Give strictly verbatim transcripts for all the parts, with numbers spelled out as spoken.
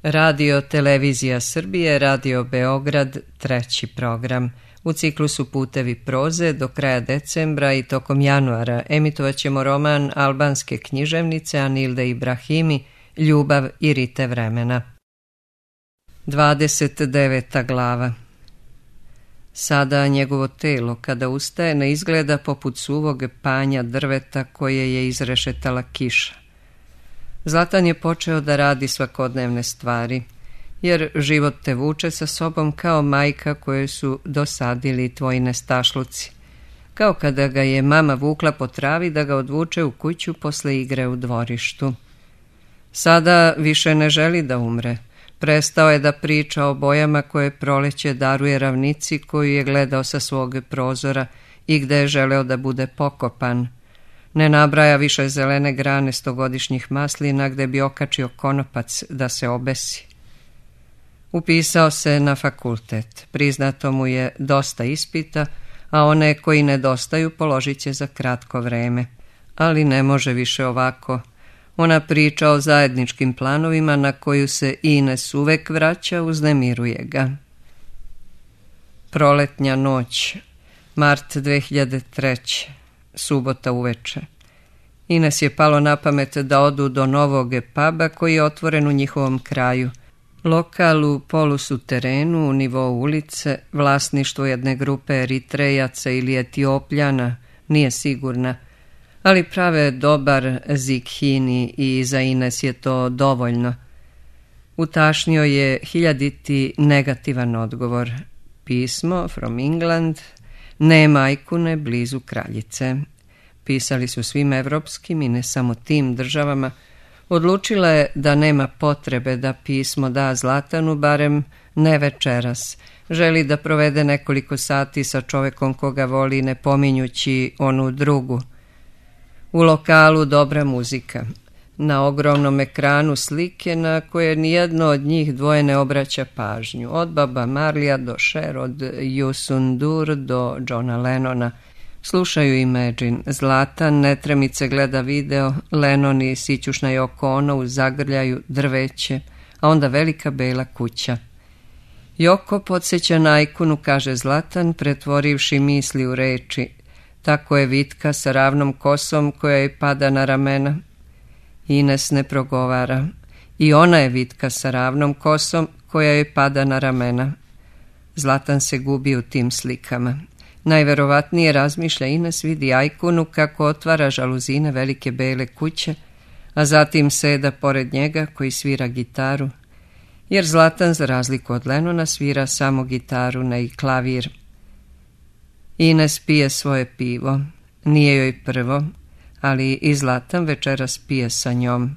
Radio Televizija Srbije, Radio Beograd, treći program. U ciklusu Putevi proze do kraja decembra i tokom januara emitovat ćemo roman albanske književnice Anilde Ibrahimi Ljubav i rite vremena. dvadeset deveta glava. Sada njegovo telo kada ustaje ne izgleda poput suvog panja drveta koje je izrešetala kiša. Zlatan je počeo da radi svakodnevne stvari, jer život te vuče sa sobom kao majka koje su dosadili tvoji nestašluci, kao kada ga je mama vukla po travi da ga odvuče u kuću posle igre u dvorištu. Sada više ne želi da umre. Prestao je da priča o bojama koje proleće daruje ravnici koju je gledao sa svog prozora i gde je želeo da bude pokopan. Ne nabraja više zelene grane stogodišnjih maslina gde bi okačio konopac da se obesi. Upisao se na fakultet. Priznato mu je dosta ispita, a one koji nedostaju položit će za kratko vreme. Ali ne može više ovako. Ona priča o zajedničkim planovima na koju se Ines uvek vraća, uznemiruje ga. Proletnja noć, mart dve hiljade treće. Subota uveče. Ines je palo na pamet da odu do novog puba koji je otvoren u njihovom kraju. Lokal u polusuterenu u nivou ulice, vlasništvo jedne grupe Eritrejaca ili Etiopljana, nije sigurna, ali prave dobar zikhini i za Ines je to dovoljno. Utašnio je hiljaditi negativan odgovor. Pismo from England, ne majkune blizu kraljice. Pisali su svim evropskim i ne samo tim državama. Odlučila je da nema potrebe da pismo da Zlatanu, barem ne večeras. Želi da provede nekoliko sati sa čovekom koga voli, ne pominjući onu drugu. U lokalu dobra muzika. Na ogromnom ekranu slike na koje nijedno od njih dvoje ne obraća pažnju. Od Baba Marlija do Cher, od Yusundur do Johna Lennona. Slušaju Imagine. Zlatan netremice gleda video, Lennon i sićušna Yoko Ono zagrljaju drveće, a onda velika bela kuća. Yoko podsjeća na ikonu, kaže Zlatan, pretvorivši misli u reči. Tako je vitka sa ravnom kosom koja joj pada na ramena. Ines ne progovara. I ona je vitka sa ravnom kosom koja joj pada na ramena. Zlatan se gubi u tim slikama. Najverovatnije, razmišlja Ines, vidi ajkunu kako otvara žaluzine velike bele kuće, a zatim seda pored njega koji svira gitaru, jer Zlatan, za razliku od Lennona, svira samo gitaru, ne i klavir. Ines pije svoje pivo. Nije joj prvo, ali i Zlatan večeras pije sa njom.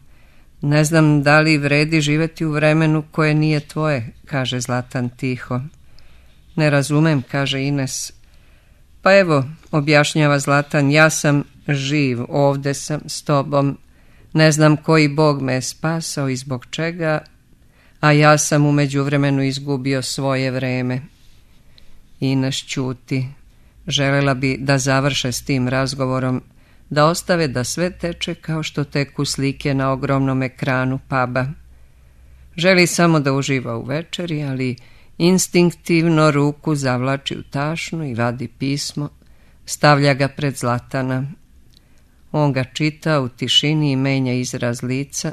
Ne znam da li vredi živeti u vremenu koje nije tvoje, kaže Zlatan tiho. Ne razumem, kaže Ines. Pa evo, objašnjava Zlatan, ja sam živ, ovde sam s tobom. Ne znam koji Bog me je spasao i zbog čega, a ja sam u međuvremenu izgubio svoje vreme. Ines ćuti. Želela bi da završe s tim razgovorom, da ostave da sve teče kao što teku slike na ogromnom ekranu puba. Želi samo da uživa u večeri, ali instinktivno ruku zavlači u tašnu i vadi pismo, stavlja ga pred Zlatana. On ga čita u tišini i menja izraz lica.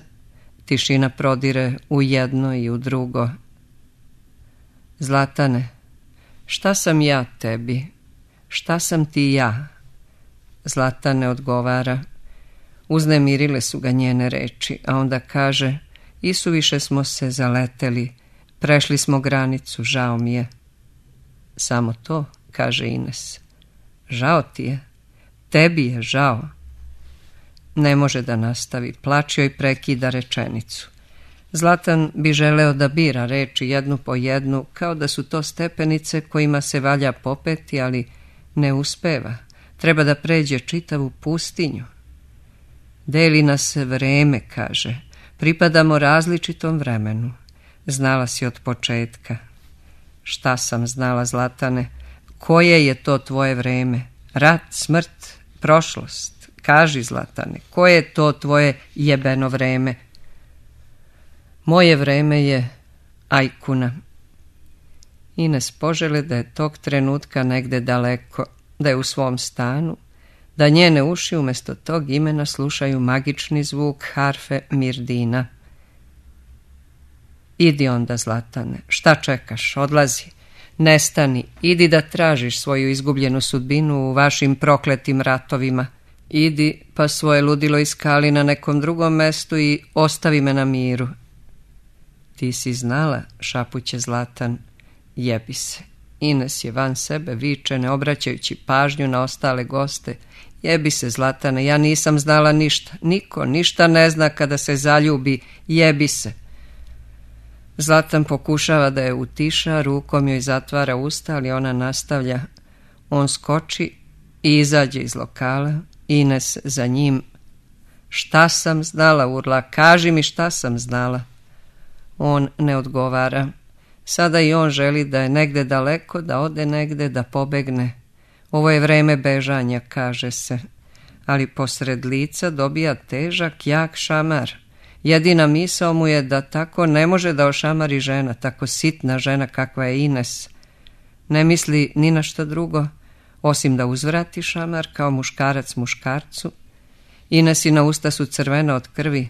Tišina prodire u jedno i u drugo. Zlatane, šta sam ja tebi? Šta sam ti ja? Zlatan ne odgovara. Uznemirile su ga njene reči, a onda kaže, isuviše smo se zaleteli, prešli smo granicu, žao mi je. Samo to, kaže Ines. Žao ti je? Tebi je žao? Ne može da nastavi, plač joj prekida rečenicu. Zlatan bi želeo da bira reči jednu po jednu, kao da su to stepenice kojima se valja popeti, ali ne uspeva. Treba da pređe čitavu pustinju. Deli nas vreme, kaže. Pripadamo različitom vremenu. Znala si od početka. Šta sam znala, Zlatane? Koje je to tvoje vreme? Rat, smrt, prošlost? Kaži, Zlatane, koje je to tvoje jebeno vreme? Moje vreme je ajkuna. Ines požele da je tog trenutka negde daleko, da je u svom stanu, da njene uši umjesto tog imena slušaju magični zvuk harfe Mirdina. Idi onda, Zlatane, šta čekaš, odlazi, nestani, idi da tražiš svoju izgubljenu sudbinu u vašim prokletim ratovima. Idi pa svoje ludilo iskali na nekom drugom mestu i ostavi me na miru. Ti si znala, šapuće Zlatan, jebi se. Ines je van sebe, viče, ne obraćajući pažnju na ostale goste. Jebi se, Zlatane, ja nisam znala ništa. Niko ništa ne zna kada se zaljubi. Jebi se. Zlatan pokušava da je utiša, rukom joj zatvara usta, ali ona nastavlja. On skoči i izađe iz lokala. Ines za njim. Šta sam znala, urla, kaži mi šta sam znala. On ne odgovara. Sada i on želi da je negde daleko, da ode negde, da pobegne. Ovo je vreme bežanja, kaže se. Ali posred lica dobija težak, jak šamar. Jedina misao mu je da tako ne može da ošamari žena, tako sitna žena kakva je Ines. Ne misli ni na što drugo, osim da uzvrati šamar kao muškarac muškarcu. Inesina usta su crvena od krvi,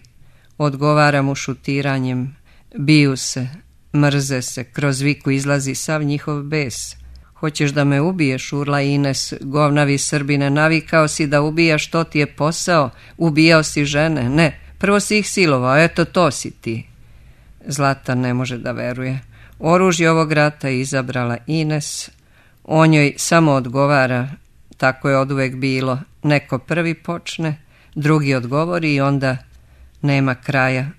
odgovara mu šutiranjem. Biju se, mrze se, kroz viku izlazi sav njihov bes. Hoćeš da me ubiješ, urla Ines, govnavi Srbine, navikao si da ubijaš, to ti je posao, ubijao si žene, ne, prvo si ih silovao, eto to si ti. Zlatan ne može da veruje. Oružje ovog rata je izabrala Ines, on joj samo odgovara, tako je oduvek bilo, neko prvi počne, drugi odgovori i onda nema kraja.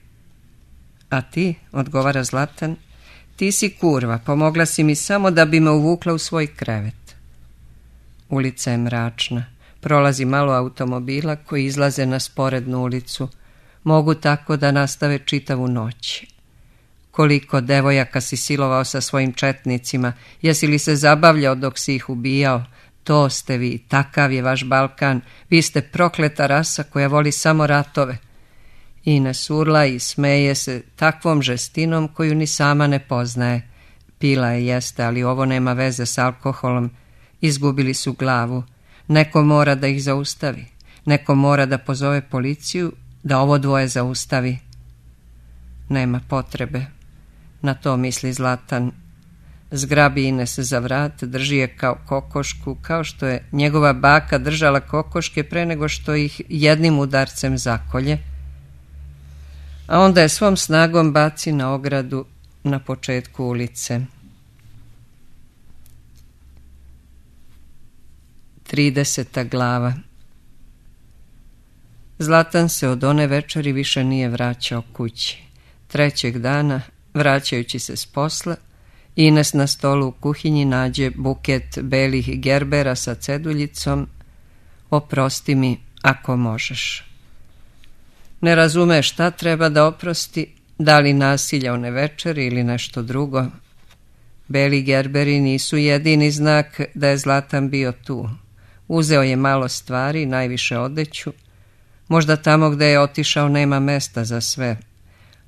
A ti, odgovara Zlatan, ti si kurva, pomogla si mi samo da bi me uvukla u svoj krevet. Ulica je mračna, prolazi malo automobila koji izlaze na sporednu ulicu, mogu tako da nastave čitavu noć. Koliko devojaka si silovao sa svojim četnicima, jesi li se zabavljao dok si ih ubijao? To ste vi, takav je vaš Balkan, vi ste prokleta rasa koja voli samo ratove. Ines urla i smeje se takvom žestinom koju ni sama ne poznaje. Pila je, jeste, ali ovo nema veze s alkoholom. Izgubili su glavu. Neko mora da ih zaustavi. Neko mora da pozove policiju, da ovo dvoje zaustavi. Nema potrebe. Na to misli Zlatan. Zgrabi Ines za vrat, drži je kao kokošku, kao što je njegova baka držala kokoške pre nego što ih jednim udarcem zakolje, a onda je svom snagom baci na ogradu na početku ulice. Trideseta glava. Zlatan se od one večeri više nije vraćao kući. Trećeg dana, vraćajući se s posla, Ines na stolu u kuhinji nađe buket belih gerbera sa ceduljicom. Oprosti mi ako možeš. Ne razume šta treba da oprosti, da li nasilja one večeri ili nešto drugo. Beli gerberi nisu jedini znak da je Zlatan bio tu. Uzeo je malo stvari, najviše odeću. Možda tamo gde je otišao nema mesta za sve.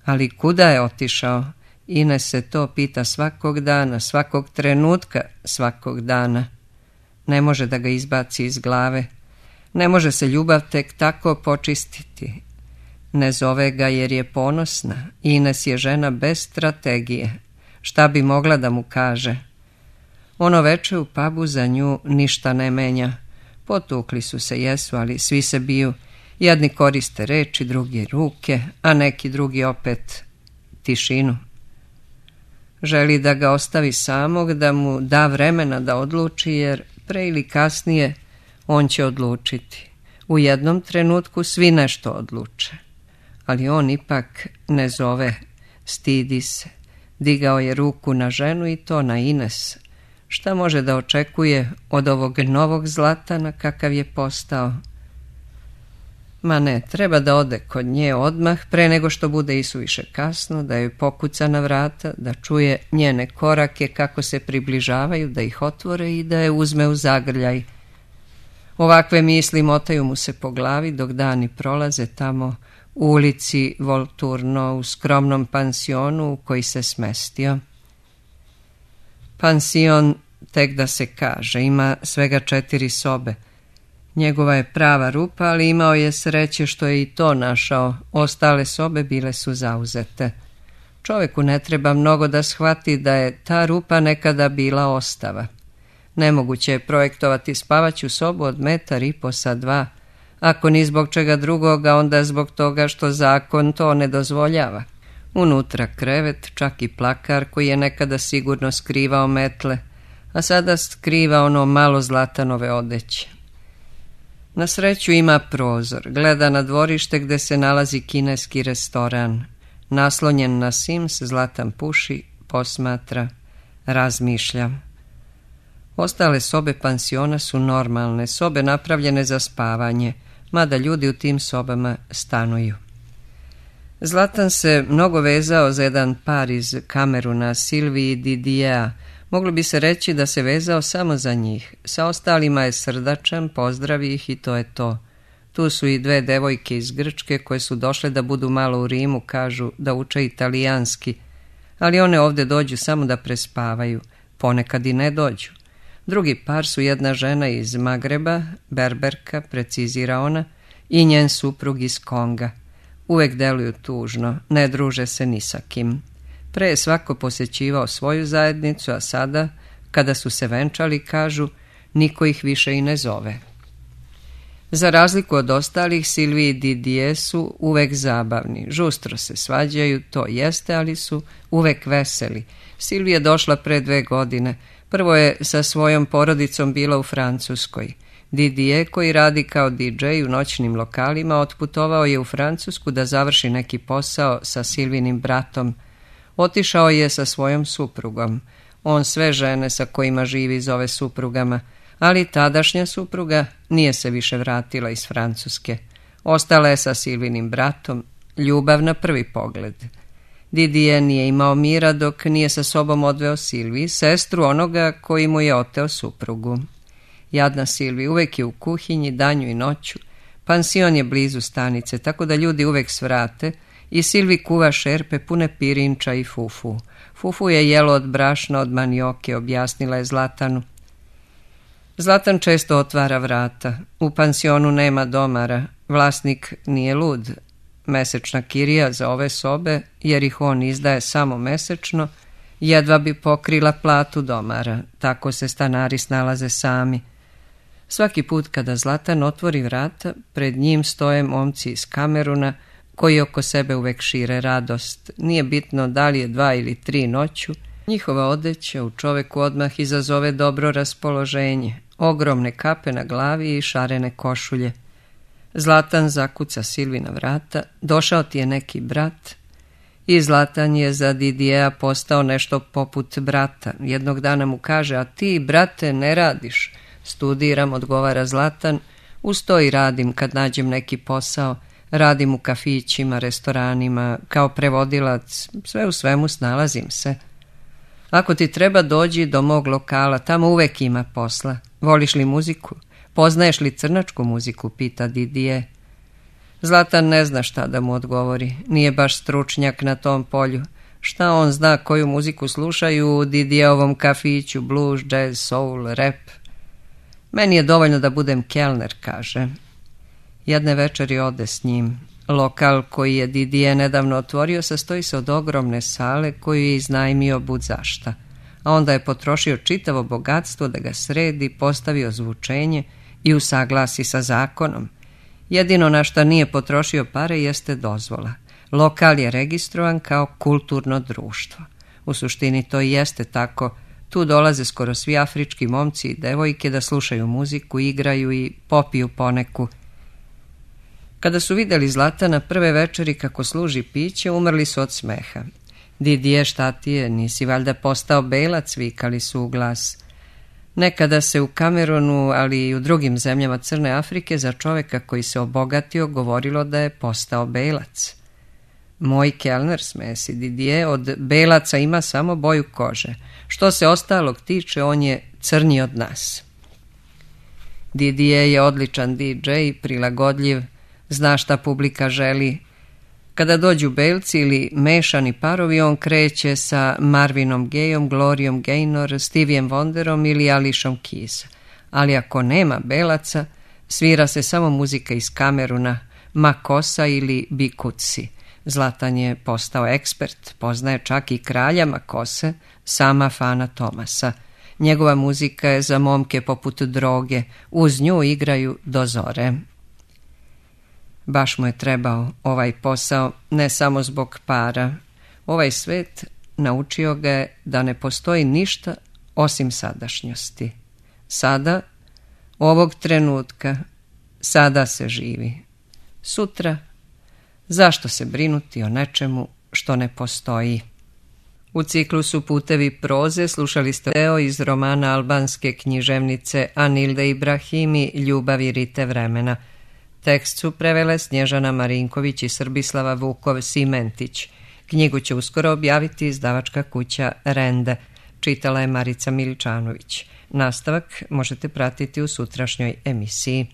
Ali kuda je otišao? Ines se to pita svakog dana, svakog trenutka, svakog dana. Ne može da ga izbaci iz glave. Ne može se ljubav tek tako počistiti. Ne zove ga jer je ponosna. Ines je žena bez strategije. Šta bi mogla da mu kaže? Ono veče u pubu za nju ništa ne menja. Potukli su se, jesu, ali svi se biju. Jedni koriste reči, drugi ruke, a neki drugi opet tišinu. Želi da ga ostavi samog, da mu da vremena da odluči, jer pre ili kasnije on će odlučiti. U jednom trenutku svi nešto odluče. Ali on ipak ne zove, stidi se. Digao je ruku na ženu i to na Ines. Šta može da očekuje od ovog novog Zlatana kakav je postao? Ma ne, treba da ode kod nje odmah, pre nego što bude isuviše kasno, da joj pokuca na vrata, da čuje njene korake kako se približavaju, da ih otvore i da je uzme u zagrljaj. Ovakve misli motaju mu se po glavi dok dani prolaze tamo u ulici Volturno, u skromnom pansionu u koji se smestio. Pansion, tek da se kaže, ima svega četiri sobe. Njegova je prava rupa, ali imao je sreće što je i to našao. Ostale sobe bile su zauzete. Čovjeku ne treba mnogo da shvati da je ta rupa nekada bila ostava. Nemoguće je projektovati spavaću sobu od metar i po sa dva. Ako ni zbog čega drugoga, onda zbog toga što zakon to ne dozvoljava. Unutra krevet, čak i plakar koji je nekada sigurno skrivao metle, a sada skriva ono malo Zlatanove odeće. Na sreću ima prozor, gleda na dvorište gde se nalazi kineski restoran. Naslonjen na Sims, Zlatan puši, posmatra, razmišlja. Ostale sobe pansiona su normalne, sobe napravljene za spavanje, mada ljudi u tim sobama stanuju. Zlatan se mnogo vezao za jedan par iz Kameruna, Silviji i Didijea. Moglo bi se reći da se vezao samo za njih. Sa ostalima je srdačan, pozdravi ih i to je to. Tu su i dve devojke iz Grčke koje su došle da budu malo u Rimu, kažu da uče italijanski, ali one ovdje dođu samo da prespavaju, ponekad i ne dođu. Drugi par su jedna žena iz Magreba, berberka, precizira ona, i njen suprug iz Konga. Uvek deluju tužno, ne druže se ni sa kim. Pre je svako posjećivao svoju zajednicu, a sada, kada su se venčali, kažu, niko ih više i ne zove. Za razliku od ostalih, Silvi i Didije su uvek zabavni, žustro se svađaju, to jeste, ali su uvek veseli. Silvi je došla pre dve godine, prvo je sa svojom porodicom bila u Francuskoj. Didije, koji radi kao di džej u noćnim lokalima, otputovao je u Francusku da završi neki posao sa Silvinim bratom. Otišao je sa svojom suprugom. On sve žene sa kojima živi zove suprugama, ali tadašnja supruga nije se više vratila iz Francuske. Ostala je sa Silvinim bratom, ljubav na prvi pogled. Didije nije imao mira dok nije sa sobom odveo Silvi, sestru onoga koji mu je oteo suprugu. Jadna Silvi uvek je u kuhinji, danju i noću. Pansion je blizu stanice, tako da ljudi uvek svrate i Silvi kuva šerpe pune pirinča i fufu. Fufu je jelo od brašna, od manioke, objasnila je Zlatanu. Zlatan često otvara vrata. U pansionu nema domara. Vlasnik nije lud. Mesečna kirija za ove sobe, jer ih on izdaje samo mesečno, jedva bi pokrila platu domara. Tako se stanari snalaze sami. Svaki put kada Zlatan otvori vrata, pred njim stoje momci iz Kameruna, koji oko sebe uvek šire radost. Nije bitno da li je dva ili tri noću, njihova odeća u čoveku odmah izazove dobro raspoloženje, ogromne kape na glavi i šarene košulje. Zlatan zakuca Silvi na vrata, došao ti je neki brat, i Zlatan je za Didijeja postao nešto poput brata. Jednog dana mu kaže, a ti, brate, ne radiš. Studiram, odgovara Zlatan, uz to i radim kad nađem neki posao. Radim u kafićima, restoranima, kao prevodilac, sve u svemu snalazim se. Ako ti treba, dođi do mog lokala, tamo uvek ima posla. Voliš li muziku? Poznaješ li crnačku muziku, pita Didije. Zlatan ne zna šta da mu odgovori, nije baš stručnjak na tom polju. Šta on zna koju muziku slušaju u Didijeovom kafiću, blues, jazz, soul, rap? Meni je dovoljno da budem kelner, kaže. Jedne večeri ode s njim. Lokal koji je Didije nedavno otvorio sastoji se od ogromne sale koju je iznajmio bud zašta, a onda je potrošio čitavo bogatstvo da ga sredi, postavi ozvučenje i usaglasi sa zakonom. Jedino na šta nije potrošio pare jeste dozvola. Lokal je registrovan kao kulturno društvo. U suštini to i jeste tako. Tu dolaze skoro svi afrički momci i devojke da slušaju muziku, igraju i popiju poneku. Kada su vidjeli Zlatana prve večeri kako služi piće, umrli su od smeha. Didije, šta ti je, nisi valjda postao belac, vikali su u glas. Nekada se u Kamerunu, ali i u drugim zemljama Crne Afrike za čoveka koji se obogatio govorilo da je postao belac. Moj kelner, smesi Didije, od belaca ima samo boju kože. Što se ostalog tiče, on je crnji od nas. Didije je odličan di džej, prilagodljiv, zna šta publika želi. Kada dođu belci ili mešani parovi, on kreće sa Marvinom Gayom, Gloriom Gaynor, Steviem Wonderom ili Alishom Keys. Ali ako nema belaca, svira se samo muzika iz Kameruna, Makosa ili Bikutsi. Zlatan je postao ekspert, poznaje čak i kralja Makose, sama Fana Tomasa. Njegova muzika je za momke poput droge, uz nju igraju do zore. Baš mu je trebao ovaj posao, ne samo zbog para. Ovaj svet naučio ga je da ne postoji ništa osim sadašnjosti. Sada, ovog trenutka, sada se živi. Sutra, zašto se brinuti o nečemu što ne postoji? U ciklusu Putevi proze slušali ste deo iz romana albanske književnice Anilde Ibrahimi Ljubavi rite vremena. Tekst su prevele Snježana Marinković i Srbislava Vukov-Simentić. Knjigu će uskoro objaviti izdavačka kuća Rende. Čitala je Marica Miličanović. Nastavak možete pratiti u sutrašnjoj emisiji.